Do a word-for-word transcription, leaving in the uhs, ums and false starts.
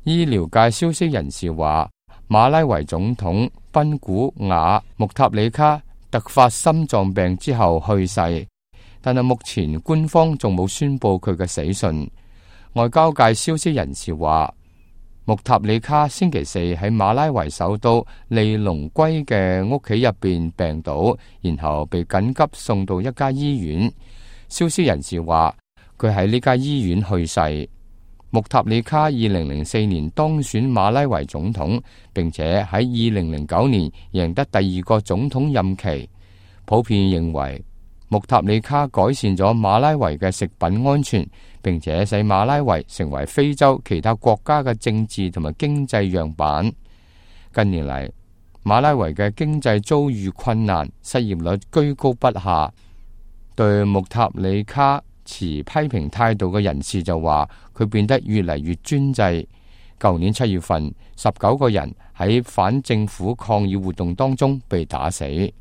醫療界消息人士話，馬拉維總統賓古瓦穆塔里卡突發心臟病之後去世，但係目前官方仲冇宣佈佢嘅死訊。外交界消息人士話，穆塔里卡星期四喺馬拉維首都利隆圭嘅屋企入邊病倒，然後被緊急送到一家醫院。消息人士話，佢喺呢家醫院去世。穆塔里卡二零零四年當選馬拉維總統，並且喺二零零九年贏得第二個總統任期。普遍認為穆塔里卡改善咗馬拉維嘅食品安全，並且使馬拉維成為非洲其他國家嘅政治同埋經濟樣板。近年嚟，馬拉維嘅經濟遭遇困難，失業率居高不下。對穆塔里卡持批評態度嘅人士就話，佢變得越嚟越專制。舊年七月份，十九個人喺反政府抗議活動當中被打死。